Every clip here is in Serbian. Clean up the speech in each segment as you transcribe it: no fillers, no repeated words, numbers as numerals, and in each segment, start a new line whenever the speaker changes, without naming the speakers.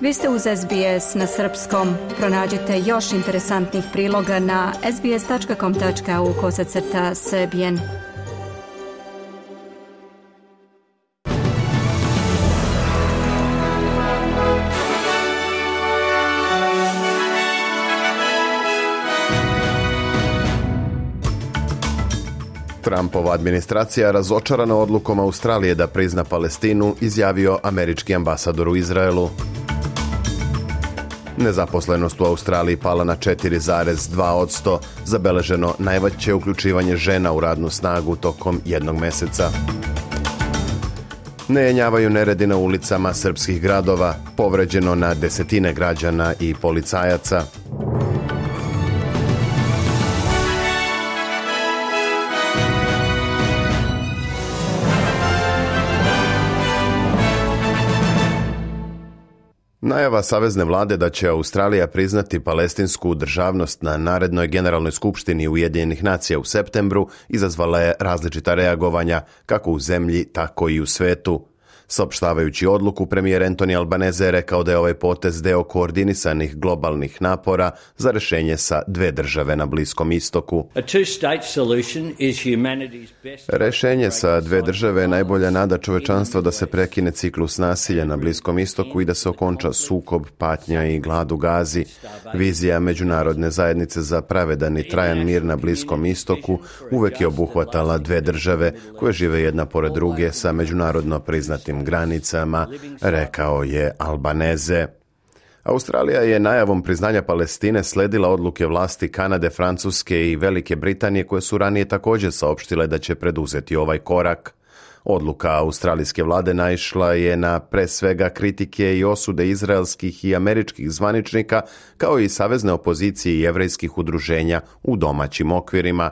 Vi ste uz SBS na srpskom. Pronađite još interesantnih priloga na sbs.com.au/srbijen.
Trumpova administracija razočarana odlukom Australije da prizna Palestinu, izjavio američki ambasador u Izraelu. Nezaposlenost u Australiji pala na 4,2%, zabeleženo najveće uključivanje žena u radnu snagu tokom jednog meseca. Ne jenjavaju neredi na ulicama srpskih gradova, povređeno na desetine građana i policajaca. Najava savezne vlade da će Australija priznati palestinsku državnost na narednoj generalnoj skupštini Ujedinjenih nacija u septembru izazvala je različita reagovanja kako u zemlji, tako i u svetu. Saopštavajući odluku, premijer Anthony Albanese je rekao da je ovaj potez deo koordinisanih globalnih napora za rješenje sa dve države na Bliskom istoku. Rješenje sa dve države je najbolja nada čovečanstva da se prekine ciklus nasilja na Bliskom istoku i da se okonča sukob, patnja i glad u Gazi. Vizija međunarodne zajednice za pravedan i trajan mir na Bliskom istoku uvek je obuhvatala dve države koje žive jedna pored druge sa međunarodno priznatim granicama, rekao je Albanese. Australija je najavom priznanja Palestine sledila odluke vlasti Kanade, Francuske i Velike Britanije koje su ranije također saopštile da će preduzeti ovaj korak. Odluka australijske vlade naišla je na pre svega kritike i osude izraelskih i američkih zvaničnika kao i savezne opozicije i jevrejskih udruženja u domaćim okvirima.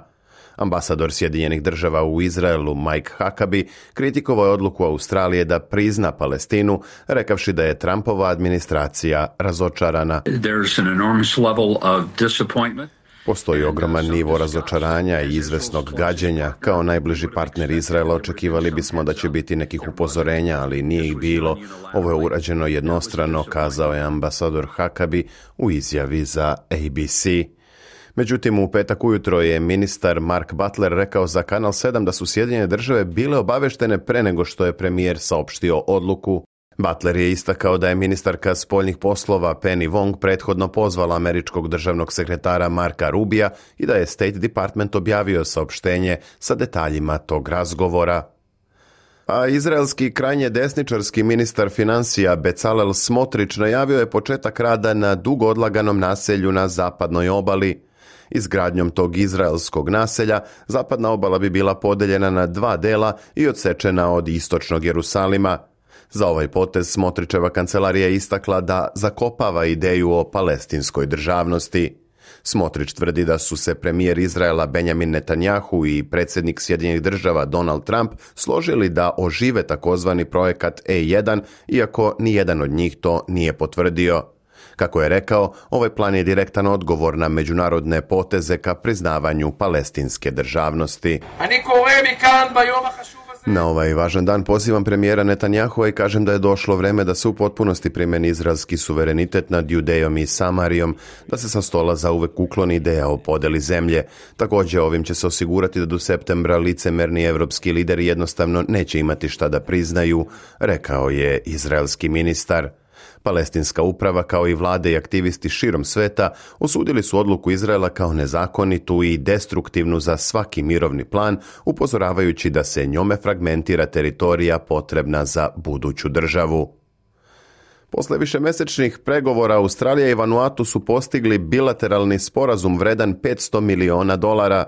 Ambasador Sjedinjenih država u Izraelu Mike Huckabee kritikovao je odluku Australije da prizna Palestinu, rekavši da je Trumpova administracija razočarana. Postoji ogroman nivo razočaranja i izvesnog gađenja. Kao najbliži partner Izraela očekivali bismo da će biti nekih upozorenja, ali nije ih bilo. Ovo je urađeno jednostrano, kazao je ambasador Huckabee u izjavi za ABC. Međutim, u petak ujutro je ministar Mark Butler rekao za Kanal 7 da su Sjedinjene države bile obaveštene pre nego što je premijer saopštio odluku. Butler je istakao da je ministarka spoljnih poslova Penny Wong prethodno pozvala američkog državnog sekretara Marka Rubija i da je State Department objavio saopštenje sa detaljima tog razgovora. A izraelski krajnje desničarski ministar financija Bezalel Smotrich najavio je početak rada na dugo odlaganom naselju na zapadnoj obali. Izgradnjom tog izraelskog naselja, zapadna obala bi bila podeljena na dva dela i odsečena od istočnog Jerusalima. Za ovaj potez Smotrićeva kancelarija istakla da zakopava ideju o palestinskoj državnosti. Smotrić tvrdi da su se premijer Izraela Benjamin Netanjahu i predsjednik Sjedinjenih država Donald Trump složili da ožive takozvani projekat E1, iako nijedan od njih to nije potvrdio. Kako je rekao, ovaj plan je direktan odgovor na međunarodne poteze ka priznavanju palestinske državnosti. Na ovaj važan dan pozivam premijera Netanjahua i kažem da je došlo vreme da se u potpunosti primeni izraelski suverenitet nad Judejom i Samarijom, da se sa stola zauvek ukloni ideja o podeli zemlje. Također ovim će se osigurati da do septembra licemerni evropski lideri jednostavno neće imati šta da priznaju, rekao je izraelski ministar. Palestinska uprava kao i vlade i aktivisti širom sveta osudili su odluku Izraela kao nezakonitu i destruktivnu za svaki mirovni plan, upozoravajući da se njome fragmentira teritorija potrebna za buduću državu. Posle višemesečnih pregovora Australija i Vanuatu su postigli bilateralni sporazum vredan $500 miliona.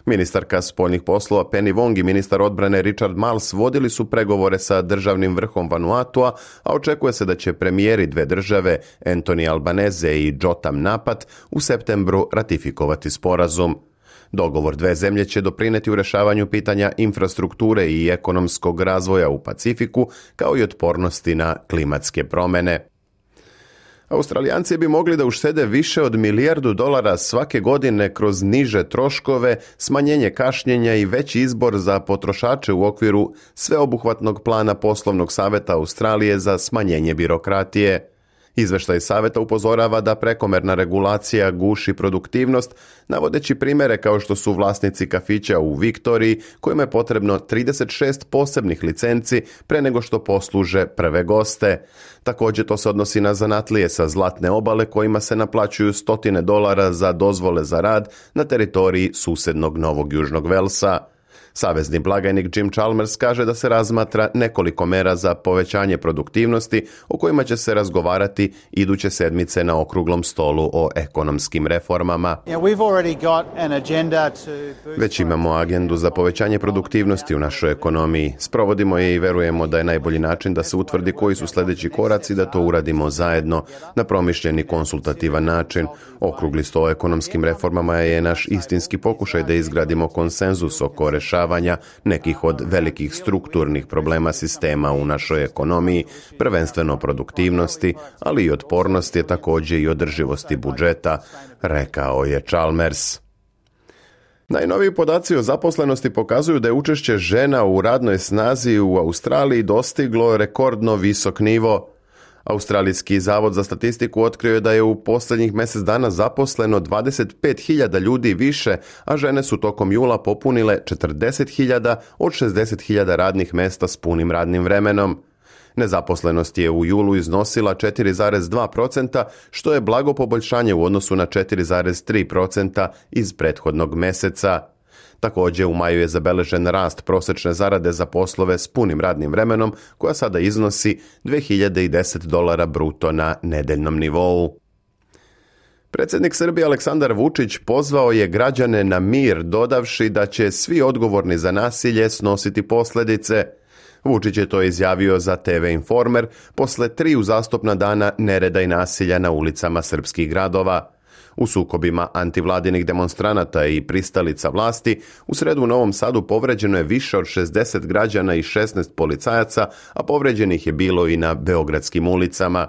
Ministarka spoljnih poslova Penny Wong i ministar odbrane Richard Marles vodili su pregovore sa državnim vrhom Vanuatua, a očekuje se da će premijeri dve države Anthony Albanese i Jotam Napat u septembru ratifikovati sporazum. Dogovor dve zemlje će doprineti u rješavanju pitanja infrastrukture i ekonomskog razvoja u Pacifiku, kao i otpornosti na klimatske promjene. Australijanci bi mogli da uštede više od $1 milijardu svake godine kroz niže troškove, smanjenje kašnjenja i veći izbor za potrošače u okviru sveobuhvatnog plana poslovnog saveta Australije za smanjenje birokratije. Izveštaj saveta upozorava da prekomerna regulacija guši produktivnost, navodeći primjere kao što su vlasnici kafića u Viktoriji, kojima je potrebno 36 posebnih licenci pre nego što posluže prve goste. Također to se odnosi na zanatlije sa Zlatne obale kojima se naplaćuju $100 za dozvole za rad na teritoriji susjednog Novog Južnog Velsa. Savezni blagajnik Jim Chalmers kaže da se razmatra nekoliko mera za povećanje produktivnosti o kojima će se razgovarati iduće sedmice na okruglom stolu o ekonomskim reformama. Već imamo agendu za povećanje produktivnosti u našoj ekonomiji. Sprovodimo je i verujemo da je najbolji način da se utvrdi koji su sljedeći koraci da to uradimo zajedno na promišljeni konsultativan način. Okrugli sto o ekonomskim reformama je naš istinski pokušaj da izgradimo konsenzus oko rješavanja nekih od velikih strukturnih problema sistema u našoj ekonomiji, prvenstveno produktivnosti, ali i otpornosti, također i održivosti budžeta, rekao je Chalmers. Najnoviji podaci o zaposlenosti pokazuju da je učešće žena u radnoj snazi u Australiji dostiglo rekordno visok nivo. Australijski zavod za statistiku otkrio je da je u posljednjih mjesec dana zaposleno 25.000 ljudi više, a žene su tokom jula popunile 40.000 od 60.000 radnih mjesta s punim radnim vremenom. Nezaposlenost je u julu iznosila 4,2%, što je blago poboljšanje u odnosu na 4,3% iz prethodnog mjeseca. Također u maju je zabeležen rast prosječne zarade za poslove s punim radnim vremenom, koja sada iznosi $2.010 bruto na nedeljnom nivou. Predsjednik Srbije Aleksandar Vučić pozvao je građane na mir, dodavši da će svi odgovorni za nasilje snositi posljedice. Vučić je to izjavio za TV Informer posle 3 uzastopna dana nereda i nasilja na ulicama srpskih gradova. U sukobima antivladinih demonstranata i pristalica vlasti u sredu u Novom Sadu povređeno je više od 60 građana i 16 policajaca, a povređenih je bilo i na beogradskim ulicama.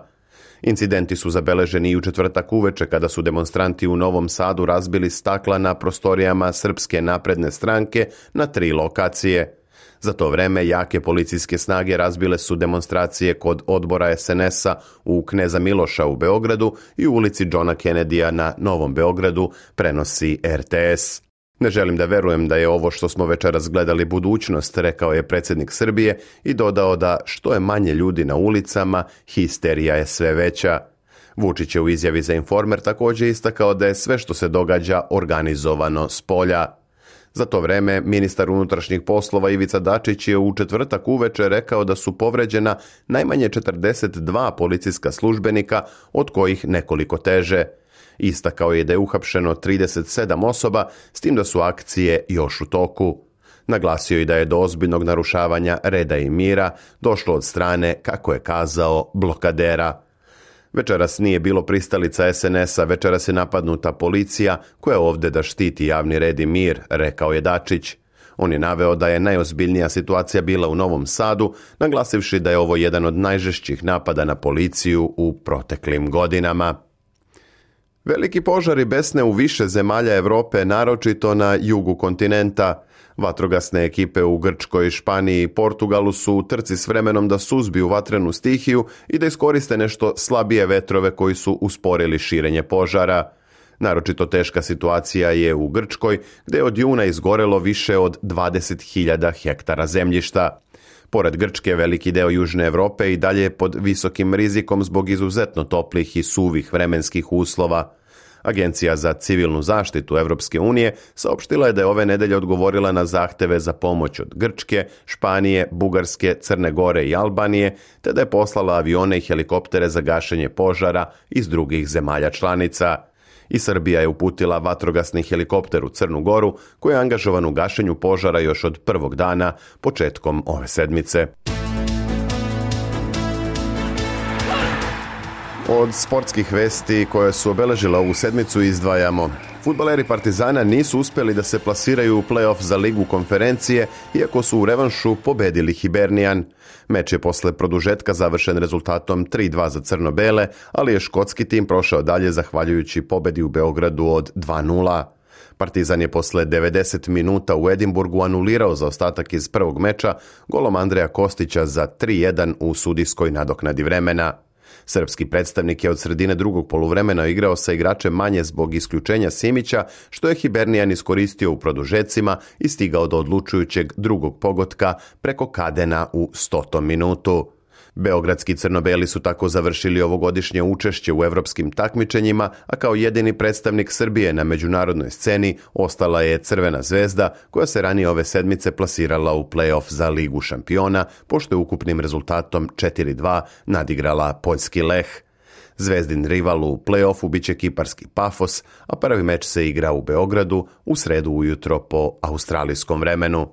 Incidenti su zabeleženi i u četvrtak uveče kada su demonstranti u Novom Sadu razbili stakla na prostorijama Srpske napredne stranke na 3 lokacije. Za to vreme jake policijske snage razbile su demonstracije kod odbora SNS-a u Kneza Miloša u Beogradu i u ulici Johna Kennedya na Novom Beogradu, prenosi RTS. Ne želim da verujem da je ovo što smo večeras gledali budućnost, rekao je predsjednik Srbije i dodao da što je manje ljudi na ulicama, histerija je sve veća. Vučić je u izjavi za Informer također istakao da je sve što se događa organizovano s polja. Za to vreme, ministar unutrašnjih poslova Ivica Dačić je u četvrtak uveče rekao da su povređena najmanje 42 policijska službenika, od kojih nekoliko teže. Istakao je da je uhapšeno 37 osoba, s tim da su akcije još u toku. Naglasio je da je do ozbiljnog narušavanja reda i mira došlo od strane, kako je kazao, blokadera. Večeras nije bilo pristalica SNS-a, večeras je napadnuta policija koja je ovdje da štiti javni red i mir, rekao je Dačić. On je naveo da je najozbiljnija situacija bila u Novom Sadu, naglasivši da je ovo jedan od najžešćih napada na policiju u proteklim godinama. Veliki požari besne u više zemalja Europe, naročito na jugu kontinenta. Vatrogasne ekipe u Grčkoj, Španiji i Portugalu su u trci s vremenom da suzbiju vatrenu stihiju i da iskoriste nešto slabije vetrove koji su usporili širenje požara. Naročito teška situacija je u Grčkoj, gdje je od juna izgorelo više od 20.000 hektara zemljišta. Pored Grčke, veliki deo Južne Europe i dalje je pod visokim rizikom zbog izuzetno toplih i suvih vremenskih uslova. Agencija za civilnu zaštitu Europske unije saopštila je da je ove nedelje odgovorila na zahteve za pomoć od Grčke, Španije, Bugarske, Crne Gore i Albanije, te da je poslala avione i helikoptere za gašenje požara iz drugih zemalja članica. I Srbija je uputila vatrogasni helikopter u Crnu Goru, koji je angažovan u gašenju požara još od prvog dana, početkom ove sedmice. Od sportskih vesti koje su obeležile ovu sedmicu izdvajamo. Fudbaleri Partizana nisu uspjeli da se plasiraju u play-off za Ligu konferencije, iako su u revanšu pobedili Hibernian. Meč je posle produžetka završen rezultatom 3-2 za crno-bele, ali je škotski tim prošao dalje zahvaljujući pobedi u Beogradu od 2-0. Partizan je posle 90 minuta u Edinburgu anulirao zaostatak iz prvog meča golom Andreja Kostića za 3-1 u sudijskoj nadoknadi vremena. Srpski predstavnik je od sredine drugog poluvremena igrao sa igračem manje zbog isključenja Simića, što je Hibernian iskoristio u produžecima i stigao do odlučujućeg drugog pogotka preko Kadena u 100. minutu. Beogradski crno-beli su tako završili ovogodišnje učešće u evropskim takmičenjima, a kao jedini predstavnik Srbije na međunarodnoj sceni ostala je Crvena zvezda, koja se ranije ove sedmice plasirala u play-off za Ligu šampiona, pošto je ukupnim rezultatom 4-2 nadigrala poljski Leh. Zvezdin rival u play-offu biće kiparski Pafos, a prvi meč se igra u Beogradu u sredu ujutro po australijskom vremenu.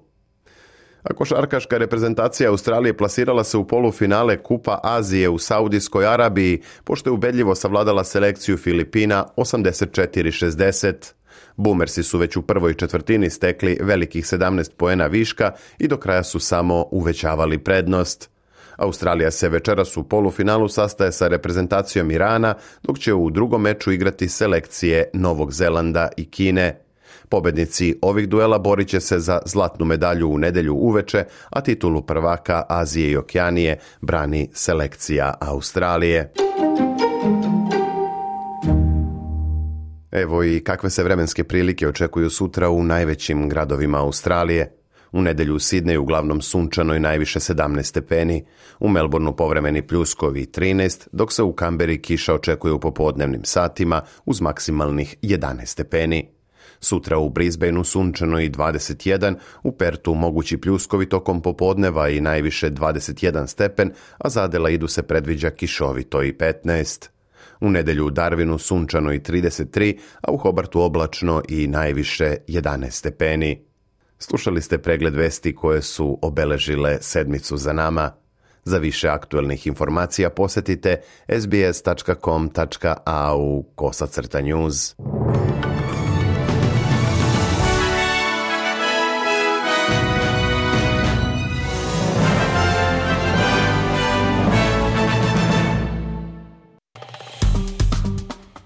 A košarkaška reprezentacija Australije plasirala se u polufinale Kupa Azije u Saudijskoj Arabiji, pošto je ubedljivo savladala selekciju Filipina 84-60. Boomersi su već u prvoj četvrtini stekli velikih 17 poena viška i do kraja su samo uvećavali prednost. Australija se večeras u polufinalu sastaje sa reprezentacijom Irana, dok će u drugom meču igrati selekcije Novog Zelanda i Kine. Pobednici ovih duela borit će se za zlatnu medalju u nedjelju uveče, a titulu prvaka Azije i Okeanije brani selekcija Australije. Evo i kakve se vremenske prilike očekuju sutra u najvećim gradovima Australije. U nedjelju u Sidneju uglavnom sunčano i najviše 17 stepeni, u Melbourneu povremeni pljuskovi 13, dok se u Kamberi kiša očekuje u popodnevnim satima uz maksimalnih 11 stepeni. Sutra u Brisbaneu sunčano i 21, u Pertu mogući pljuskovi tokom popodneva i najviše 21 stepen, a za Adelaidu se predviđa kišovito i 15. U nedjelju u Darwinu sunčano i 33, a u Hobartu oblačno i najviše 11 stepeni. Slušali ste pregled vesti koje su obeležile sedmicu za nama. Za više aktuelnih informacija posjetite sbs.com.au/news.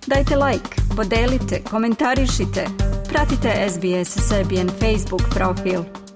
Dajte like, podelite, komentarišite. Pratite SBS Serbian Facebook profil.